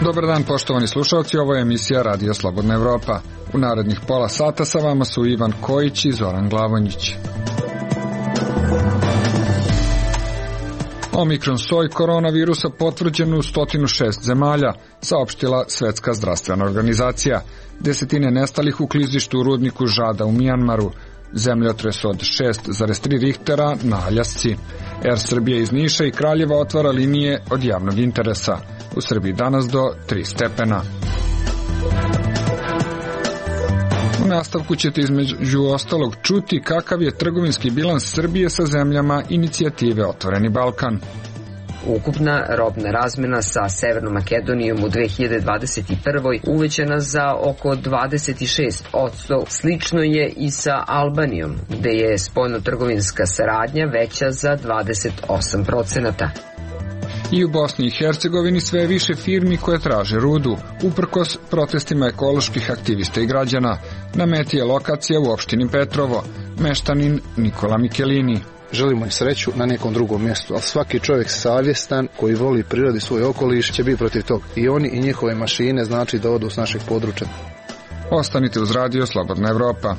Dobar dan, poštovani slušalci, ovo je emisija Radio Slobodna Evropa. U narednih pola sata sa vama su Ivan Kojić i Zoran Glavonjić. Omikron soj koronavirusa potvrđen u 106 zemalja, saopštila Svetska zdravstvena organizacija. Desetine nestalih u klizištu u rudniku Žada u Mijanmaru. Zemljotres od 6,3 Richtera na Aljasci. Air Srbija iz Niša i Kraljeva otvara linije od javnog interesa. U Srbiji danas do 3 stepena. U nastavku ćete između ostalog čuti kakav je trgovinski bilans Srbije sa zemljama inicijative Otvoreni Balkan. Ukupna robna razmena sa Severnom Makedonijom u 2021. uvećana za oko 26%. Slično je i sa Albanijom, gde je spoljnotrgovinska saradnja veća za 28%. I u Bosni i Hercegovini sve više firmi koje traže rudu, uprkos protestima ekoloških aktivista i građana. Na meti je lokacija u opštini Petrovo, meštanin Nikola Mikelini. Želimo im sreću na nekom drugom mjestu, ali svaki čovjek savjestan koji voli prirodi svoj okoliš će biti protiv toga. I oni i njihove mašine znači da odu s našeg područja. Ostanite uz Radio Slobodna Evropa.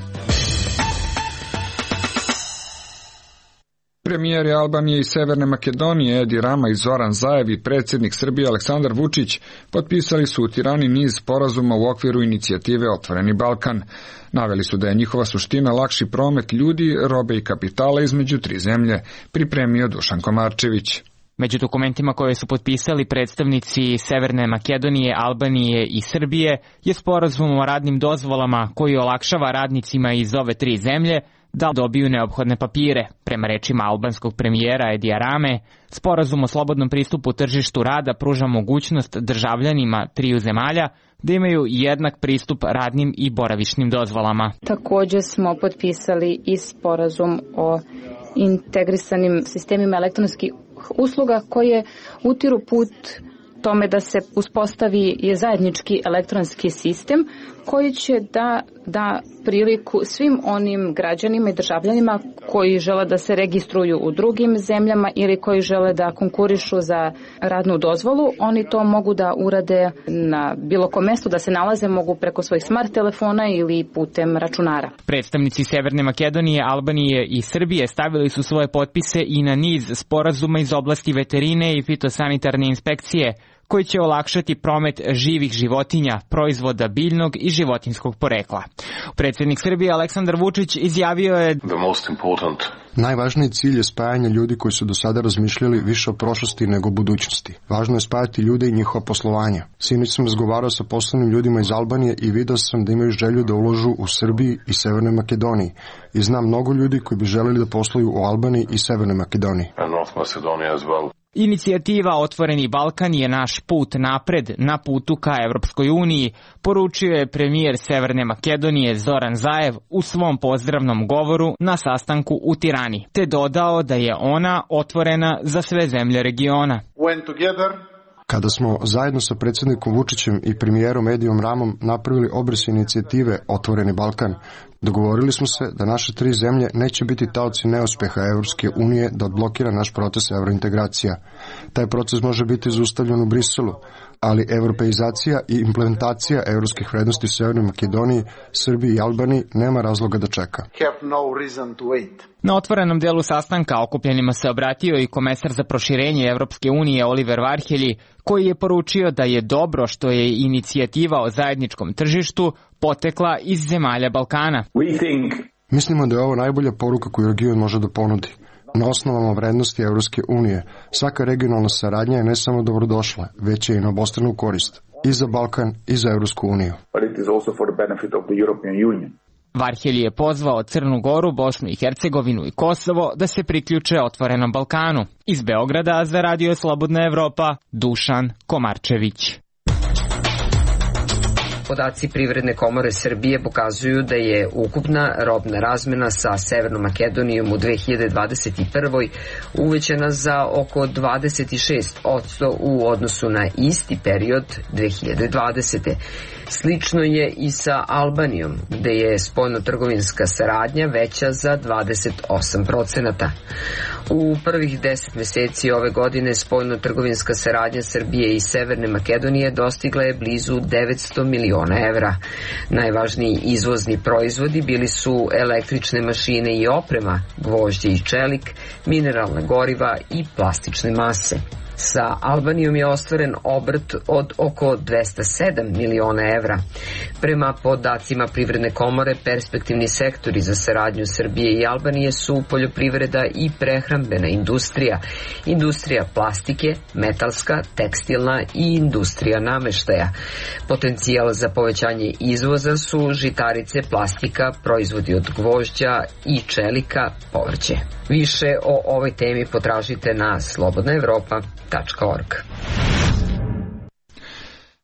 Premijeri Albanije i Severne Makedonije Edi Rama i Zoran Zaev i predsjednik Srbije Aleksandar Vučić potpisali su u Tirani niz sporazuma u okviru inicijative Otvoreni Balkan. Naveli su da je njihova suština lakši promet ljudi, robe i kapitala između tri zemlje, pripremio Dušan Komarčević. Među dokumentima koje su potpisali predstavnici Severne Makedonije, Albanije i Srbije je sporazum o radnim dozvolama koji olakšava radnicima iz ove tri zemlje da dobiju neophodne papire. Prema rečima albanskog premijera Edija Rame, sporazum o slobodnom pristupu tržištu rada pruža mogućnost državljanima triju zemalja da imaju jednak pristup radnim i boravišnim dozvolama. Također smo potpisali i sporazum o integrisanim sistemima elektronskih usluga koje utiru put tome da se uspostavi zajednički elektronski sistem koji će da priliku svim onim građanima i državljanima koji žele da se registruju u drugim zemljama ili koji žele da konkurišu za radnu dozvolu. Oni to mogu da urade na bilo kom mjestu, da se nalaze, mogu preko svojih smart telefona ili putem računara. Predstavnici Severne Makedonije, Albanije i Srbije stavili su svoje potpise i na niz sporazuma iz oblasti veterine i fitosanitarne inspekcije, koji će olakšati promet živih životinja, proizvoda biljnog i životinskog porekla. Predsjednik Srbije Aleksandar Vučić izjavio je: Najvažniji cilj je spajanje ljudi koji su do sada razmišljali više o prošlosti nego o budućnosti. Važno je spajati ljude i njihova poslovanja. Sinoć sam razgovarao sa poslovnim ljudima iz Albanije i video sam da imaju želju da uložu u Srbiji i Severnoj Makedoniji. I znam mnogo ljudi koji bi želeli da posluju u Albaniji i Severnoj Makedoniji. Inicijativa Otvoreni Balkan je naš put napred na putu ka Evropskoj uniji, poručio je premijer Severne Makedonije Zoran Zaev u svom pozdravnom govoru na sastanku u Tirani, te dodao da je ona otvorena za sve zemlje regiona. Kada smo zajedno sa predsjednikom Vučićem i premijerom Edijom Ramom napravili obris inicijative Otvoreni Balkan, dogovorili smo se da naše tri zemlje neće biti taoci neuspeha Evropske unije da odblokira naš proces evrointegracija. Taj proces može biti zaustavljen u Briselu, ali evropeizacija i implementacija evropskih vrednosti u Severnoj Makedoniji, Srbiji i Albaniji nema razloga da čeka. Na otvorenom delu sastanka okupljenima se obratio i komesar za proširenje Evropske unije Oliver Varhelji, koji je poručio da je dobro što je inicijativa o zajedničkom tržištu potekla iz zemalja Balkana. Mislimo da je ovo najbolja poruka koju region može da ponudi. Na osnovama vrednosti Evropske unije, svaka regionalna saradnja je ne samo dobrodošla, već je i na obostranu korist, i za Balkan i za Evropsku uniju. Varhelji je pozvao Crnu Goru, Bosnu i Hercegovinu i Kosovo da se priključe Otvorenom Balkanu. Iz Beograda za Radio Slobodna Evropa, Dušan Komarčević. podaci Privredne komore Srbije pokazuju da je ukupna robna razmena sa Severnom Makedonijom u 2021. uvećana za oko 26% u odnosu na isti period 2020. Slično je i sa Albanijom, gde je spoljnotrgovinska saradnja veća za 28%. U prvih 10 meseci ove godine spoljnotrgovinska saradnja Srbije i Severne Makedonije dostigla je blizu 900 miliona evra. Najvažniji izvozni proizvodi bili su električne mašine i oprema, gvožđe i čelik, mineralna goriva i plastične mase. Sa Albanijom je ostvaren obrt od oko 207 miliona evra. Prema podacima Privredne komore, perspektivni sektori za saradnju Srbije i Albanije su poljoprivreda i prehrambena industrija, industrija plastike, metalska, tekstilna i industrija nameštaja. Potencijal za povećanje izvoza su žitarice, plastika, proizvodi od gvožđa i čelika, povrće. Više o ovoj temi potražite na slobodnaevropa.org.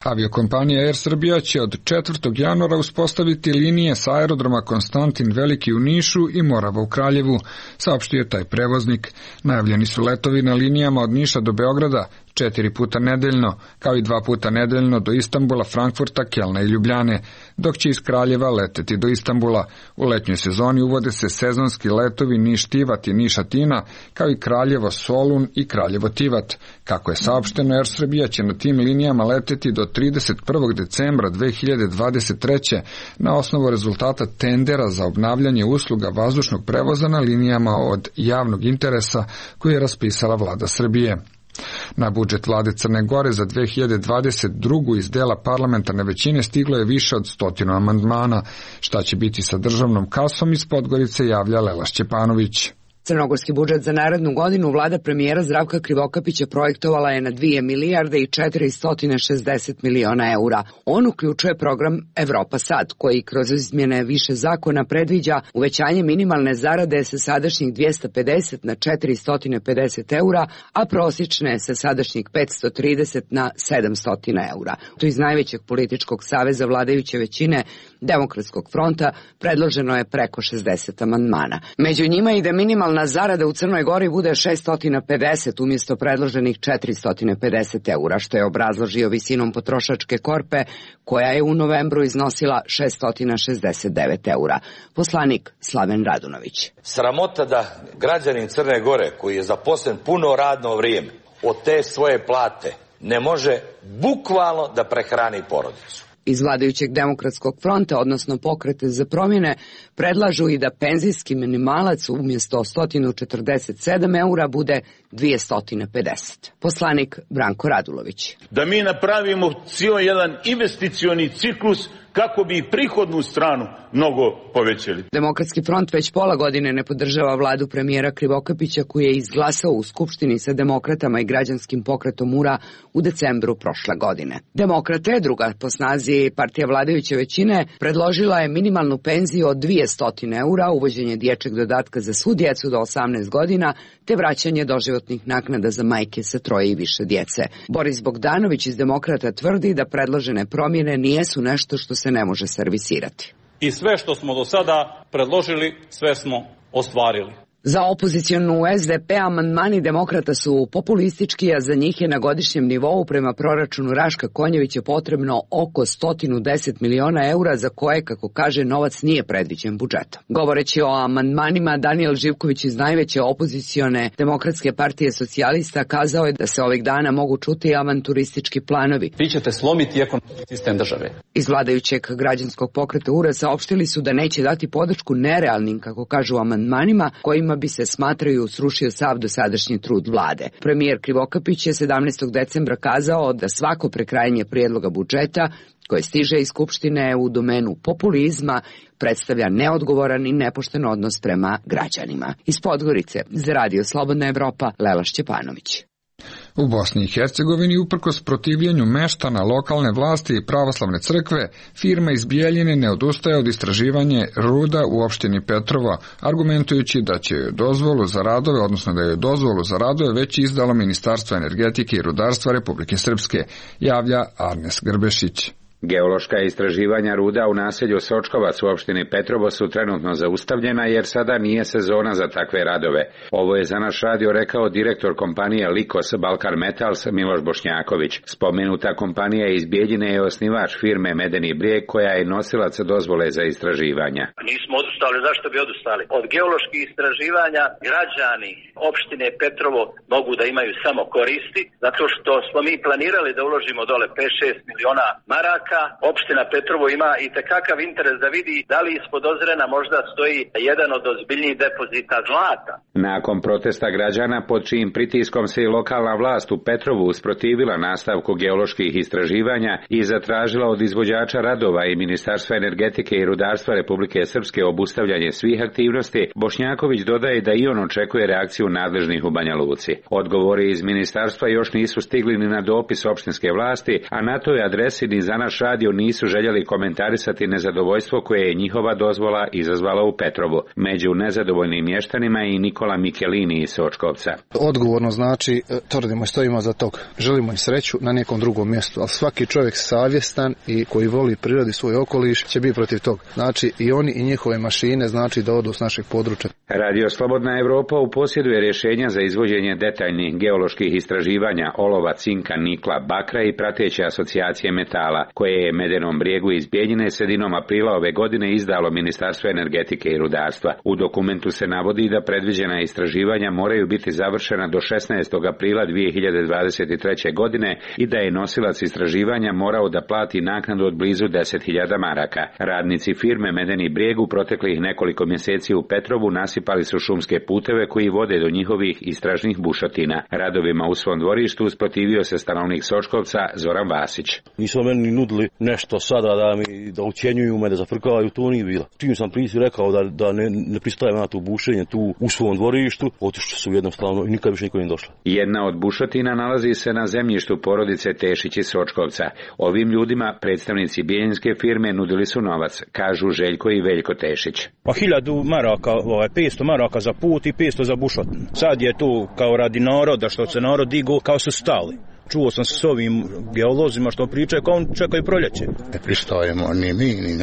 Aviokompanija Air Srbija će od 4. januara uspostaviti linije sa aerodroma Konstantin Veliki u Nišu i Morava u Kraljevu, saopštio je taj prevoznik. Najavljeni su letovi na linijama od Niša do Beograda 4 puta nedeljno, kao i 2 puta nedeljno do Istanbula, Frankfurta, Kelna i Ljubljane, dok će iz Kraljeva leteti do Istanbula. U letnjoj sezoni uvode se sezonski letovi Niš-Tivat i Niš-Atina, kao i Kraljevo-Solun i Kraljevo-Tivat. Kako je saopšteno, Air Srbija će na tim linijama leteti do 31. decembra 2023. na osnovu rezultata tendera za obnavljanje usluga vazdušnog prevoza na linijama od javnog interesa koje je raspisala vlada Srbije. Na budžet vlade Crne Gore za 2022. iz dela parlamentarne većine stiglo je više od 100 amandmana. Šta će biti sa državnom kasom, iz Podgorice javlja Lela Šćepanović. Crnogorski budžet za narednu godinu vlada premijera Zdravka Krivokapića projektovala je na 2 milijarde i 460 miliona eura. On uključuje program Evropa Sad, koji kroz izmjene više zakona predviđa uvećanje minimalne zarade sa sadašnjih 250 na 450 eura, a prosječne sa sadašnjih 530 na 700 eura. To iz najvećeg političkog saveza vladajuće većine Demokratskog fronta predloženo je preko 60 amandmana. Među njima i da minimalna zarada u Crnoj Gori bude 650 umjesto predloženih 450 eura, što je obrazložio visinom potrošačke korpe, koja je u novembru iznosila 669 eura. Poslanik Slaven Radunović. Sramota da građanin Crne Gore, koji je zaposlen puno radno vrijeme, od te svoje plate ne može bukvalno da prehrani porodicu. Iz vladajućeg Demokratskog fronta, odnosno Pokreta za promjene, predlažu i da penzijski minimalac umjesto 147 eura bude 250. Poslanik Branko Radulović. Da mi napravimo cijel jedan investicioni ciklus kako bi prihodnu stranu mnogo povećali. Demokratski front već pola godine ne podržava vladu premijera Krivokapića, koji je izglasao u Skupštini sa demokratama i građanskim pokretom URA u decembru prošle godine. Demokrate, druga po snazi partija vladajuće većine, predložila je minimalnu penziju od 200 eura, uvođenje dječjeg dodatka za svu djecu do 18 godina, te vraćanje doživotnih naknada za majke sa 3 i više djece. Boris Bogdanović iz Demokrata tvrdi da predložene promjene nijesu nešto što se ne može servisirati. I sve što smo do sada predložili, sve smo ostvarili. Za opozicionu SDP amandmani Demokrata su populistički, a za njih je na godišnjem nivou prema proračunu Raška Konjevića potrebno oko 110 miliona eura, za koje, kako kaže, novac nije predviđen budžetom. Govoreći o amandmanima, Danijel Živković iz najveće opozicione Demokratske partije socijalista kazao je da se ovih dana mogu čuti avanturistički planovi. Vi ćete slomiti ekonomski sistem države. Iz vladajućeg građanskog pokreta URA saopštili su da neće dati podršku nerealnim, kako kažu, amandmanima kojima bi se, smatraju, srušio sav dosadašnji trud vlade. Premijer Krivokapić je 17. decembra kazao da svako prekrajanje prijedloga budžeta koje stiže iz Skupštine u domenu populizma predstavlja neodgovoran i nepošten odnos prema građanima. Iz Podgorice za Radio Slobodna Evropa, Lela Šćepanović. U Bosni i Hercegovini, uprkos protivljenju meštana, lokalne vlasti i pravoslavne crkve, firma iz Bijeljine ne odustaje od istraživanja ruda u opštini Petrovo, argumentujući da će joj dozvolu za radove, odnosno da je dozvolu za radove već izdalo Ministarstvo energetike i rudarstva Republike Srpske, javlja Arnes Grbešić. Geološka istraživanja ruda u naselju Sočkovac u opštini Petrovo su trenutno zaustavljena jer sada nije sezona za takve radove. Ovo je za naš radio rekao direktor kompanije Likos Balkan Metals Miloš Bošnjaković. Spomenuta kompanija iz Bijeljine je osnivač firme Medeni brijeg koja je nosilac dozvole za istraživanja. Nismo odustali, zašto bi odustali? Od geoloških istraživanja građani opštine Petrovo mogu da imaju samo koristi, zato što smo mi planirali da uložimo dole 5-6 miliona maraka. Opština Petrovo ima i tekakav interes da vidi da li ispod Ozrena možda stoji jedan od ozbiljnijih depozita zlata. Nakon protesta građana pod čijim pritiskom se i lokalna vlast u Petrovu usprotivila nastavku geoloških istraživanja i zatražila od izvođača radova i Ministarstva energetike i rudarstva Republike Srpske obustavljanje svih aktivnosti, Bošnjaković dodaje da i on očekuje reakciju nadležnih u Banja Luci. Odgovori iz ministarstva još nisu stigli ni na dopis opštinske vlasti, a na toj adresi ni za naš radio nisu željeli komentarisati nezadovoljstvo koje je njihova dozvola izazvala u Petrovu. Među nezadovoljnim mještanima je i Nikola Mikelini iz Sočkovca. Odgovorno znači, tvrdimo i stojimo za tog. Želimo im sreću na nekom drugom mjestu, ali svaki čovjek savjestan i koji voli prirodi svoj okoliš će biti protiv tog. Znači i oni i njihove mašine znači da odu s našeg područja. Radio Slobodna Evropa u posjeduje rješenja za izvođenje detaljnih geoloških istraživanja olova, cinka, nikla, bakra i prateće asocijacije metala, koje je Medenom brijegu iz Bijeljine sredinom aprila ove godine izdalo Ministarstvo energetike i rudarstva. U dokumentu se navodi da predviđena istraživanja moraju biti završena do 16. aprila 2023. godine i da je nosilac istraživanja morao da plati naknadu od blizu 10.000 maraka. Radnici firme Medeni brijeg u proteklih nekoliko mjeseci u Petrovu nasipali su šumske puteve koji vode do njihovih istražnih bušotina. Radovima u svom dvorištu usprotivio se stanovnik Sočkovca Zoran Vasić. Nisu meni nudili nešto sada da ucjenjuju me, da zafrkavaju, to nije bilo. Čim sam prisi rekao da ne pristajem na to bušenje tu u svom dvorištu, otišli su jednostavno i nikad više niko nije došla. Jedna od bušotina nalazi se na zemljištu porodice Tešić iz Sočkovca. Ovim ljudima predstavnici bijeljinske firme nudili su novac, kažu Željko i Veljko Tešić. Pa 1000 maraka, 500 maraka za put i 500 za bušotinu. Sad je to kao radi naroda, što se narod digo, kao su stali. Čuo sam se s ovim geolozima što pričaju kao on čekaju proljeće. Ne pristojemo ni mi, ni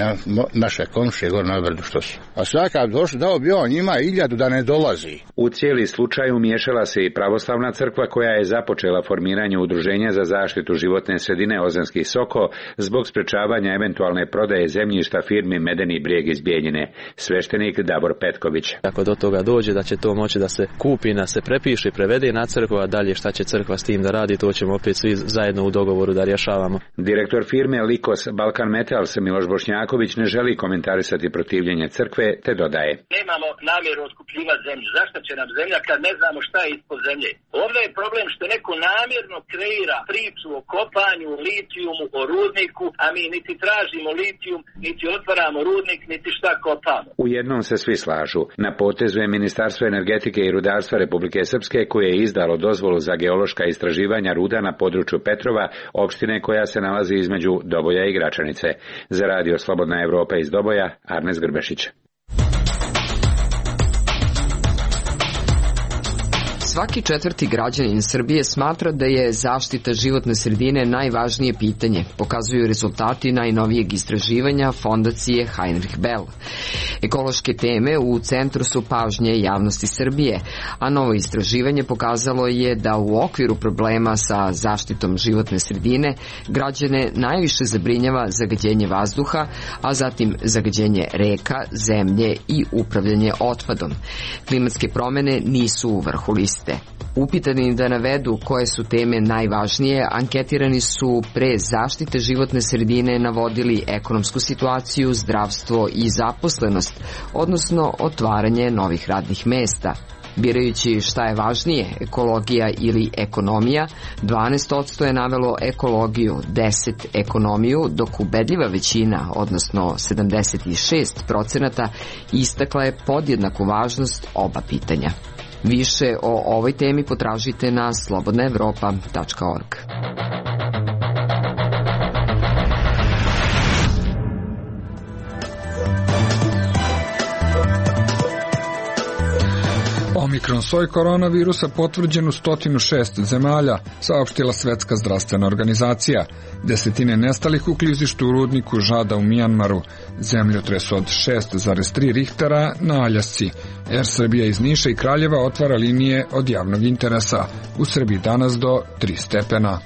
naše komšije gore na brdu što su. A svakav došli dao bi on njima 1000 da ne dolazi. U cijeli slučaj umiješala se i pravoslavna crkva koja je započela formiranje udruženja za zaštitu životne sredine Ozanski Soko zbog sprečavanja eventualne prodaje zemljišta firmi Medeni brijeg iz Bijeljine. Sveštenik Davor Petković. Ako do toga dođe da će to moći da se kupi, da se prepiše i prevede na crkvu, a dalje šta će crkva s tim da radi, to ćemo opet svi zajedno u dogovoru da rješavamo. Direktor firme Likos Balkan Metals Miloš Bošnjaković ne želi komentarisati protivljenje crkve, te dodaje. Nemamo namjeru otkupljivati zemlju. Zašto će nam zemlja kad ne znamo šta je ispod zemlje? Ovdje je problem što neko namjerno kreira priču o kopanju, litijumu, o rudniku, a mi niti tražimo litijum, niti otvaramo rudnik, niti šta kopamo. U jednom se svi slažu. Na potezu je Ministarstvo energetike i rudarstva Republike Srpske koje je izdalo dozvolu za geološka istraživanja ruda na području Petrova, opštine koja se nalazi između Doboja i Gračanice. Za radio Slobodna Evropa iz Doboja, Arnes Grbešić. Svaki četvrti građanin Srbije smatra da je zaštita životne sredine najvažnije pitanje, pokazuju rezultati najnovijeg istraživanja fondacije Heinrich Bell. Ekološke teme u centru su pažnje javnosti Srbije, a novo istraživanje pokazalo je da u okviru problema sa zaštitom životne sredine građane najviše zabrinjava zagađenje vazduha, a zatim zagađenje reka, zemlje i upravljanje otpadom. Klimatske promene nisu u vrhu liste. Upitani da navedu koje su teme najvažnije, anketirani su pre zaštite životne sredine navodili ekonomsku situaciju, zdravstvo i zaposlenost, odnosno otvaranje novih radnih mesta. Birajući šta je važnije, ekologija ili ekonomija, 12% je navelo ekologiju, 10% ekonomiju, dok ubedljiva većina, odnosno 76%, istakla je podjednaku važnost oba pitanja. Više o ovoj temi potražite na slobodnaevropa.org. O Omikron soj koronavirusa potvrđen u 106 zemalja, saopštila Svetska zdravstvena organizacija. Desetine nestalih u klizištu u rudniku Žada u Mijanmaru. Zemljotres od 6,3 Richtera na Aljasci. Air Srbija iz Niša i Kraljeva otvara linije od javnog interesa. U Srbiji danas do 3 stepena.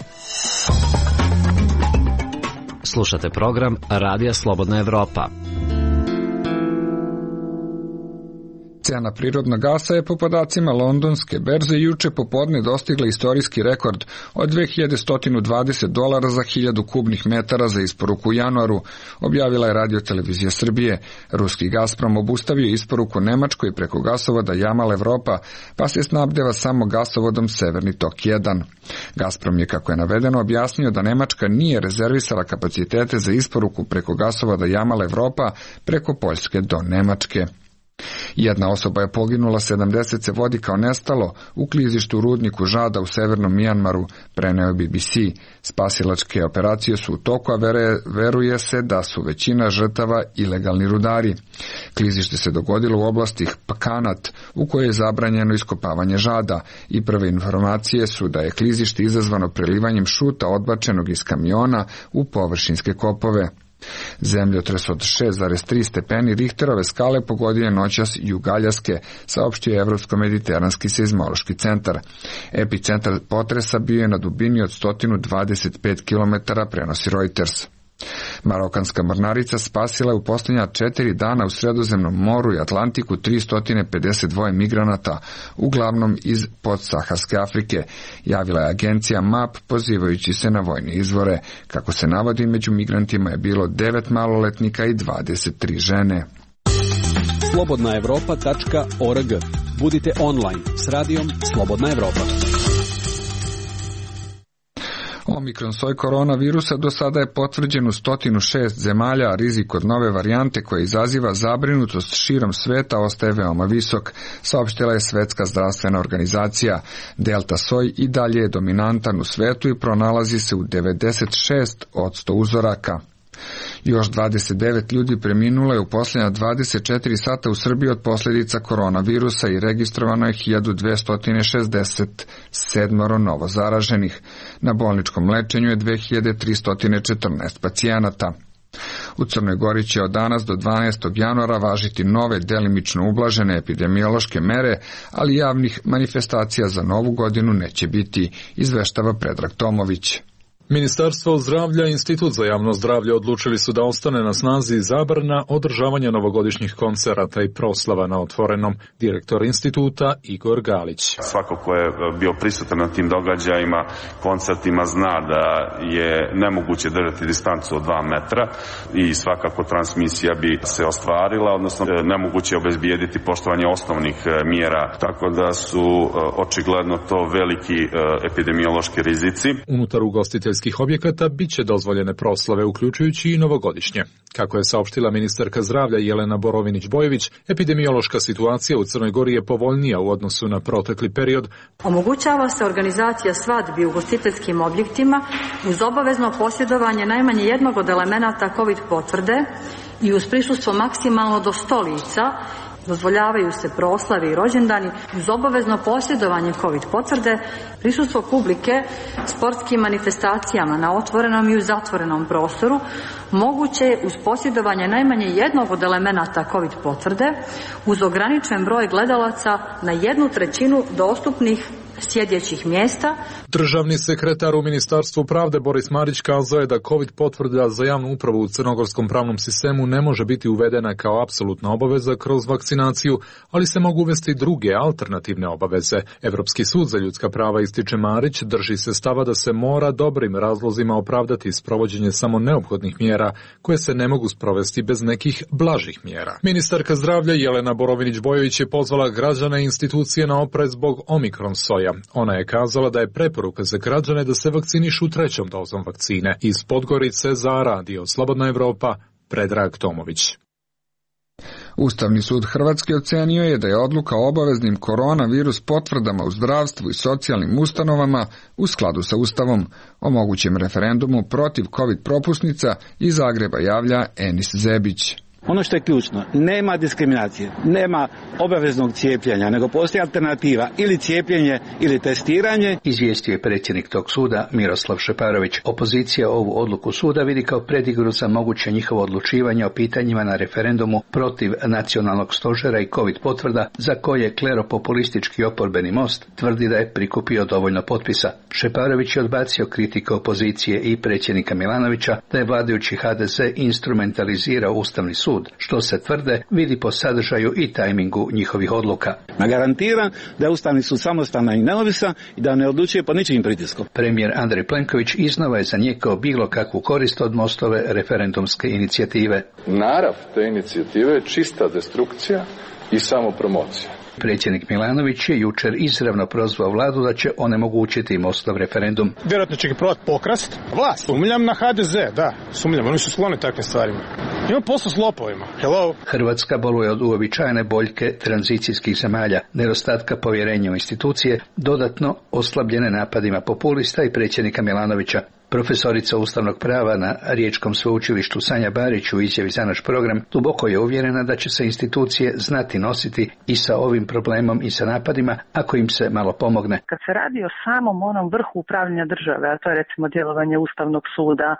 Slušate program Radija Slobodna Evropa. Cena prirodnog gasa je po podacima londonske berze juče popodne dostigla istorijski rekord od $2120 za 1000 kubnih metara za isporuku u januaru, objavila je Radio-televizija Srbije. Ruski Gazprom obustavio isporuku Nemačkoj preko gasovoda Jamal Evropa, pa se snabdeva samo gasovodom Severni tok 1. Gazprom je, kako je navedeno, objasnio da Nemačka nije rezervisala kapacitete za isporuku preko gasovoda Jamal Evropa preko Poljske do Nemačke. Jedna osoba je poginula, 70 se vodi kao nestalo u klizištu u rudniku Žada u severnom Mijanmaru, preneo BBC. Spasilačke operacije su u toku, a veruje se da su većina žrtava ilegalni rudari. Klizište se dogodilo u oblasti Pakanat, u kojoj je zabranjeno iskopavanje žada, i prve informacije su da je klizište izazvano prelivanjem šuta odbačenog iz kamiona u površinske kopove. Zemljotres od 6,3 stepeni Richterove skale pogodio je noćas jug Aljaske, saopštio je Evropsko-mediteranski seizmološki centar. Epicentar potresa bio je na dubini od 125 km, prenosi Reuters. Marokanska mornarica spasila je u posljednja 4 dana u Sredozemnom moru i Atlantiku 352 migranata, uglavnom iz podsaharske Afrike, javila je agencija MAP pozivajući se na vojne izvore. Kako se navodi, među migrantima je bilo 9 maloletnika i 23 žene. slobodnaevropa.org. Budite online s radijom Slobodna Evropa. Omikron soj koronavirusa do sada je potvrđen u 106 zemalja, a rizik od nove varijante koja izaziva zabrinutost širom sveta ostaje veoma visok, saopštila je Svetska zdravstvena organizacija. Delta soj i dalje je dominantan u svetu i pronalazi se u 96% uzoraka. Još 29 ljudi preminulo je u posljednja 24 sata u Srbiji od posljedica koronavirusa i registrovano je 1267 novo zaraženih. Na bolničkom lečenju je 2314 pacijenata. U Crnoj Gori će od danas do 12. januara važiti nove delimično ublažene epidemiološke mere, ali javnih manifestacija za novu godinu neće biti, izveštava Predrag Tomović. Ministarstvo zdravlja i Institut za javno zdravlje odlučili su da ostane na snazi zabrana održavanja novogodišnjih koncerata i proslava na otvorenom. Direktor instituta Igor Galić. Svako ko je bio prisutan na tim događajima, koncertima, zna da je nemoguće držati distancu od 2 metra i svakako transmisija bi se ostvarila, odnosno nemoguće je obezbijediti poštovanje osnovnih mjera, tako da su očigledno to veliki epidemiološki rizici. Unutar ugostiteljskih objekata bit će dozvoljene proslave, uključujući i novogodišnje. Kako je saopštila ministarka zdravlja Jelena Borovinić-Bojović, epidemiološka situacija u Crnoj Gori je povoljnija u odnosu na protekli period. Omogućava se organizacija svadbi u ugostiteljskim objektima uz obavezno posjedovanje najmanje jednog od elemenata COVID potvrde i uz prisustvo maksimalno do 100 lica. Dozvoljavaju se proslave i rođendani uz obavezno posjedovanje COVID potvrde, prisustvo publike sportskim manifestacijama na otvorenom i u zatvorenom prostoru, moguće je uz posjedovanje najmanje jednog od elemenata COVID potvrde, uz ograničen broj gledalaca na 1/3 dostupnih sjedećih mjesta. Državni sekretar u Ministarstvu pravde Boris Marić kazao je da COVID potvrda za javnu upravu u crnogorskom pravnom sistemu ne može biti uvedena kao apsolutna obaveza kroz vakcinaciju, ali se mogu uvesti druge alternativne obaveze. Evropski sud za ljudska prava, ističe Marić, drži se stava da se mora dobrim razlozima opravdati sprovođenje samo neophodnih mjera koje se ne mogu sprovesti bez nekih blažih mjera. Ministarka zdravlja Jelena Borovinić-Bojović je pozvala građane i institucije na oprez zbog Omikron soja. Ona je kazala da je preporuka za građane da se vakcinišu 3. dozom vakcine. Iz Podgorice za Radio Slobodna Evropa, Predrag Tomović. Ustavni sud Hrvatske ocenio je da je odluka o obaveznim koronavirus potvrdama u zdravstvu i socijalnim ustanovama u skladu sa Ustavom. O mogućem referendumu protiv COVID propusnica iz Zagreba javlja Enis Zebić. Ono što je ključno, nema diskriminacije, nema obaveznog cijepljenja, nego postoji alternativa ili cijepljenje ili testiranje. Izvijestio je predsjednik tog suda Miroslav Šeparović. Opozicija ovu odluku suda vidi kao predigru za moguće njihovo odlučivanje o pitanjima na referendumu protiv nacionalnog stožera i COVID potvrda za koje kleropopulistički oporbeni Most tvrdi da je prikupio dovoljno potpisa. Šeparović je odbacio kritike opozicije i predsjednika Milanovića da je vladajući HDZ instrumentalizirao Ustavni sud, što se tvrde vidi po sadržaju i tajmingu njihovih odluka. Garantiram da je Ustavni sud samostalan i neovisan i da ne odlučuje pod ničijim pritiskom. Premijer Andrej Plenković iznova je zanijekao bilo kakvu korist od Mostove referendumske inicijative. Narav te inicijative je čista destrukcija i samopromocija. Predsjednik Milanović je jučer izravno prozvao vladu da će onemogućiti Mostov referendum. Vjerojatno će ga probati pokrast. Vlast. Sumnjam na HDZ, da. Sumnjam, oni su skloni takvim stvarima. Ima posao s lopovima. Hello. Hrvatska boluje od uobičajene boljke tranzicijskih zemalja, nedostatka povjerenja u institucije, dodatno oslabljene napadima populista i predsjednika Milanovića. Profesorica ustavnog prava na Riječkom sveučilištu Sanja Barić u izjavi za naš program duboko je uvjerena da će se institucije znati nositi i sa ovim problemom i sa napadima ako im se malo pomogne. Kad se radi o samom onom vrhu upravljanja države, a to je recimo djelovanje Ustavnog suda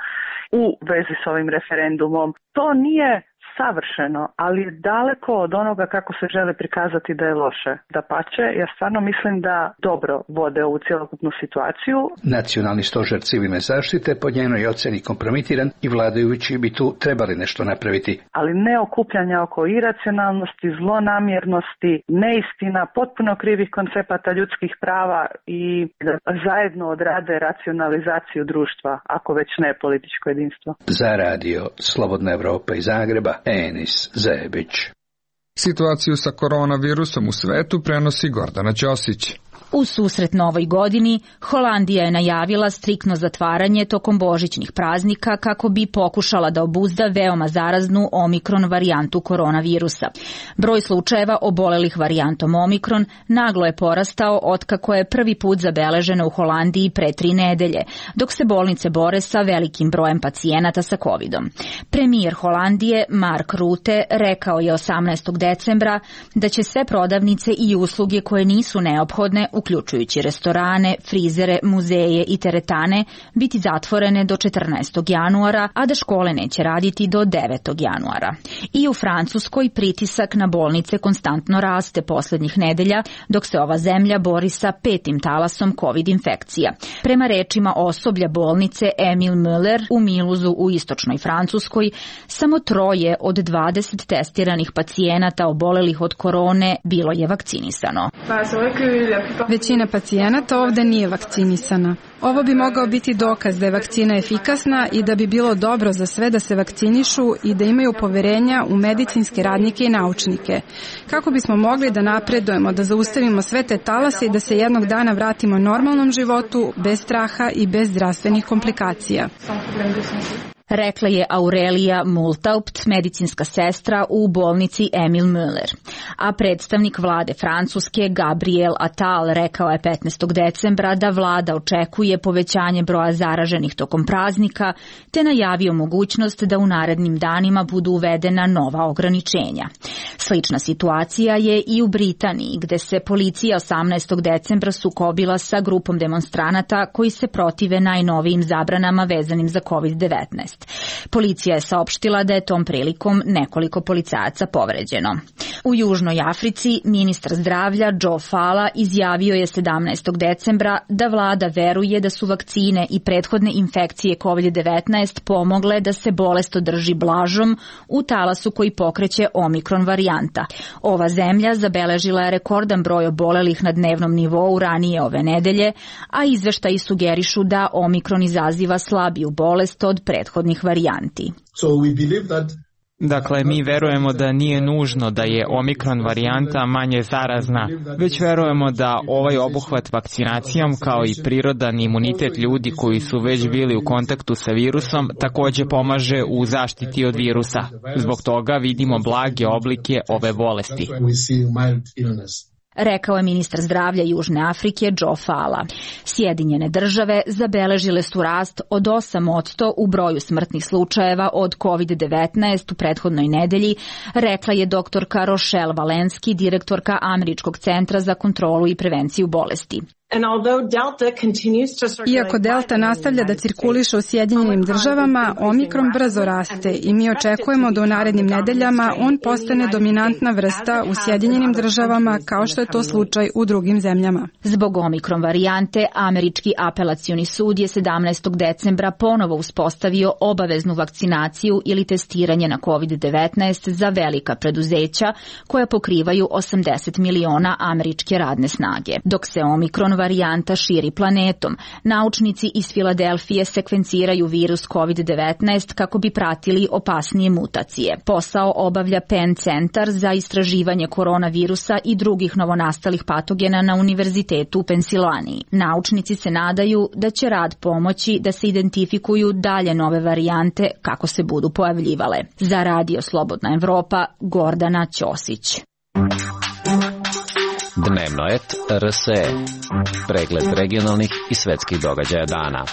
u vezi s ovim referendumom, to nije savršeno, ali je daleko od onoga kako se žele prikazati da je loše. Dapače, ja stvarno mislim da dobro vode ovu cjelokupnu situaciju. Nacionalni stožer civilne zaštite po njenoj ocjeni kompromitiran i vladajući bi tu trebali nešto napraviti. Ali ne okupljanja oko iracionalnosti, zlonamjernosti, neistina, potpuno krivih koncepata ljudskih prava i da zajedno odrade racionalizaciju društva, ako već ne političko jedinstvo. Za radio Slobodna Evropa iz Zagreba, Enis Zebić. Situaciju sa koronavirusom u svetu prenosi Gordana Ćosić. U susret novoj godini, Holandija je najavila striktno zatvaranje tokom božićnih praznika kako bi pokušala da obuzda veoma zaraznu omikron varijantu koronavirusa. Broj slučajeva obolelih varijantom omikron naglo je porastao otkako je prvi put zabeleženo u Holandiji pre 3 nedelje, dok se bolnice bore sa velikim brojem pacijenata sa covidom. Premijer Holandije Mark Rutte rekao je 18. decembra da će sve prodavnice i usluge koje nisu neophodne, uključujući restorane, frizere, muzeje i teretane, biti zatvorene do 14. januara, a da škole neće raditi do 9. januara. I u Francuskoj pritisak na bolnice konstantno raste posljednjih nedelja, dok se ova zemlja bori sa 5. talasom COVID infekcija. Prema rečima osoblja bolnice Emil Müller u Miluzu u istočnoj Francuskoj, samo 3 od 20 testiranih pacijenata obolelih od korone bilo je vakcinisano. Većina pacijenata ovdje nije vakcinisana. Ovo bi mogao biti dokaz da je vakcina efikasna i da bi bilo dobro za sve da se vakcinišu i da imaju poverenja u medicinske radnike i naučnike. Kako bismo mogli da napredujemo, da zaustavimo sve te talase i da se jednog dana vratimo normalnom životu, bez straha i bez zdravstvenih komplikacija. Rekla je Aurelija Multaupt, medicinska sestra u bolnici Emil Müller. A predstavnik vlade Francuske Gabriel Attal rekao je 15. decembra da vlada očekuje povećanje broja zaraženih tokom praznika, te najavio mogućnost da u narednim danima budu uvedena nova ograničenja. Slična situacija je i u Britaniji, gde se policija 18. decembra sukobila sa grupom demonstranata koji se protive najnovijim zabranama vezanim za COVID-19. Policija je saopštila da je tom prilikom nekoliko policajaca povređeno. U Južnoj Africi ministar zdravlja Joe Fala izjavio je 17. decembra da vlada veruje da su vakcine i prethodne infekcije COVID-19 pomogle da se bolest održi blažom u talasu koji pokreće omikron varijanta. Ova zemlja zabeležila je rekordan broj obolelih na dnevnom nivou ranije ove nedelje, a izveštaji sugerišu da omikron izaziva slabiju bolest od prethodnih varijanti. Dakle, mi verujemo da nije nužno da je omikron varijanta manje zarazna, već verujemo da ovaj obuhvat vakcinacijom kao i prirodan imunitet ljudi koji su već bili u kontaktu sa virusom također pomaže u zaštiti od virusa. Zbog toga vidimo blage oblike ove bolesti. rekao je ministar zdravlja Južne Afrike Joe Fala. Sjedinjene države zabeležile su rast od 8% u broju smrtnih slučajeva od COVID-19 u prethodnoj nedelji, rekla je doktorka Rochelle Walensky, direktorka Američkog centra za kontrolu i prevenciju bolesti. Iako Delta nastavlja da cirkuliše u Sjedinjenim državama, Omikron brzo raste i mi očekujemo da u narednim nedeljama on postane dominantna vrsta u Sjedinjenim državama kao što je to slučaj u drugim zemljama. Zbog Omikron varijante, Američki apelacioni sud je 17. decembra ponovo uspostavio obaveznu vakcinaciju ili testiranje na COVID-19 za velika preduzeća koja pokrivaju 80 miliona američke radne snage. Dok se Omikron varijanta širi planetom, naučnici iz Filadelfije sekvenciraju virus COVID-19 kako bi pratili opasnije mutacije. Posao obavlja Penn centar za istraživanje koronavirusa i drugih novonastalih patogena na Univerzitetu u Pensilvaniji. Naučnici se nadaju da će rad pomoći da se identifikuju dalje nove varijante kako se budu pojavljivale. Za Radio Slobodna Evropa, Gordana Ćosić. Dnevnoet RSE. Pregled regionalnih i svetskih događaja dana.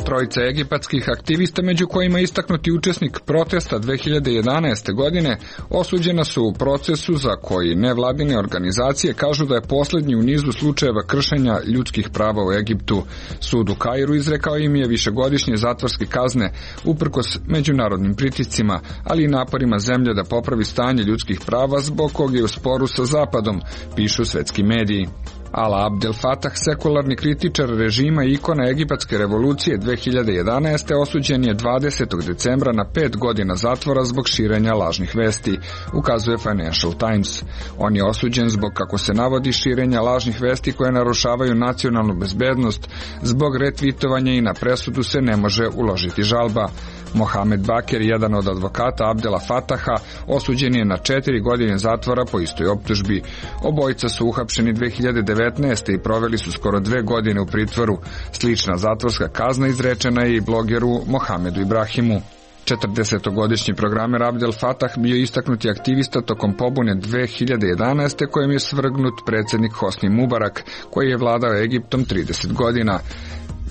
Trojica egipatskih aktivista, među kojima istaknuti učesnik protesta 2011. godine, osuđena su u procesu za koji nevladine organizacije kažu da je poslednji u nizu slučajeva kršenja ljudskih prava u Egiptu. Sud u Kairu izrekao im je višegodišnje zatvorske kazne uprkos međunarodnim pritiscima, ali i naporima zemlje da popravi stanje ljudskih prava zbog kog je u sporu sa Zapadom, pišu svetski mediji. Ala Abdel Fattah, sekularni kritičar režima i ikona egipatske revolucije 2011. osuđen je 20. decembra na 5 godina zatvora zbog širenja lažnih vesti, ukazuje Financial Times. On je osuđen zbog, kako se navodi, širenja lažnih vesti koje narušavaju nacionalnu bezbednost. Zbog retvitovanja i na presudu se ne može uložiti žalba. Mohamed Baker, jedan od advokata Abdela Fattaha, osuđen je na 4 godine zatvora po istoj optužbi. Obojica su uhapšeni 2019. i proveli su skoro 2 godine u pritvoru. Slična zatvorska kazna izrečena je i blogeru Mohamedu Ibrahimu. 40-godišnji programer Abdel Fattah bio istaknuti aktivista tokom pobune 2011. kojem je svrgnut predsjednik Hosni Mubarak, koji je vladao Egiptom 30 godina.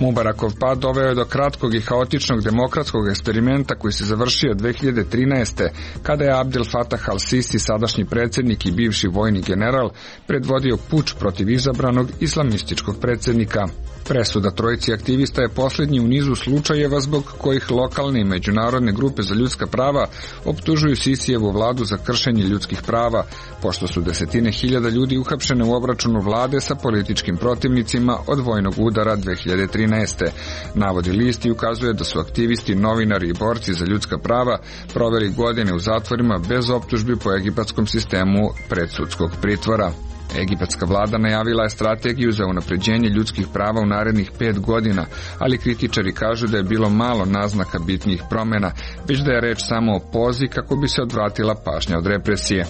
Mubarakov pad doveo je do kratkog i haotičnog demokratskog eksperimenta koji se završio 2013. kada je Abdel Fattah al-Sisi, sadašnji predsjednik i bivši vojni general, predvodio puč protiv izabranog islamističkog predsjednika. Presuda trojici aktivista je posljednji u nizu slučajeva zbog kojih lokalne i međunarodne grupe za ljudska prava optužuju Sisijevu vladu za kršenje ljudskih prava, pošto su desetine hiljada ljudi uhapšene u obračunu vlade sa političkim protivnicima od vojnog udara 2013. Navodi list i ukazuje da su aktivisti, novinari i borci za ljudska prava proveli godine u zatvorima bez optužbi po egipatskom sistemu predsudskog pritvora. Egipatska vlada najavila je strategiju za unapređenje ljudskih prava u narednih 5 godina, ali kritičari kažu da je bilo malo naznaka bitnijih promjena, već da je reč samo o pozi kako bi se odvratila pažnja od represije.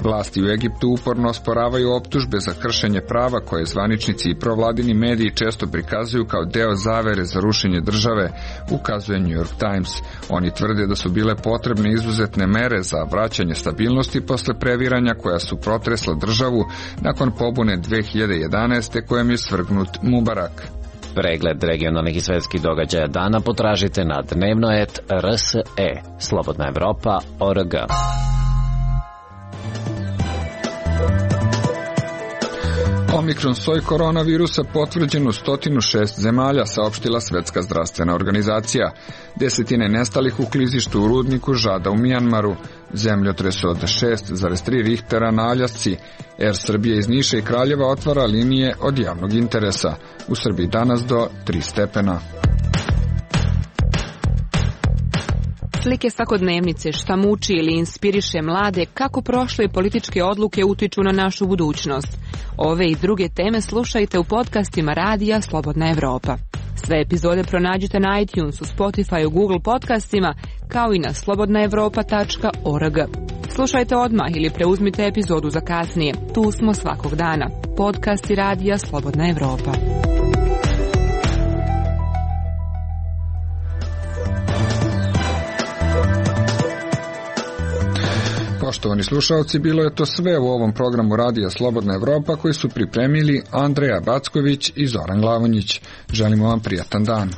Vlasti u Egiptu uporno osporavaju optužbe za kršenje prava koje zvaničnici i provladini mediji često prikazuju kao deo zavere za rušenje države, ukazuje New York Times. Oni tvrde da su bile potrebne izuzetne mere za vraćanje stabilnosti posle previranja koja su protresla državu nakon pobune 2011. kojem je svrgnut Mubarak. Pregled regionalnih i svetskih događaja dana potražite na dnevnoet RSE, slobodnaevropa.org. Omikron soj koronavirusa potvrđen u 106 zemalja, saopštila Svetska zdravstvena organizacija. Desetine nestalih u klizištu u rudniku Žada u Mijanmaru, zemljotres od 6,3 Richtera na Aljasci. Air Srbije iz Niša i Kraljeva otvara linije od javnog interesa. U Srbiji danas do 3 stepena. Slike svakodnevnice, šta muči ili inspiriše mlade, kako prošle političke odluke utiču na našu budućnost. Ove i druge teme slušajte u podcastima Radija Slobodna Evropa. Sve epizode pronađite na iTunesu, Spotify, Google podcastima, kao i na slobodnaevropa.org. Slušajte odmah ili preuzmite epizodu za kasnije. Tu smo svakog dana. Podcasti Radija Slobodna Evropa. Poštovani slušalci, bilo je to sve u ovom programu Radija Slobodna Evropa koji su pripremili Andreja Backović i Zoran Glavonjić. Želimo vam prijatan dan.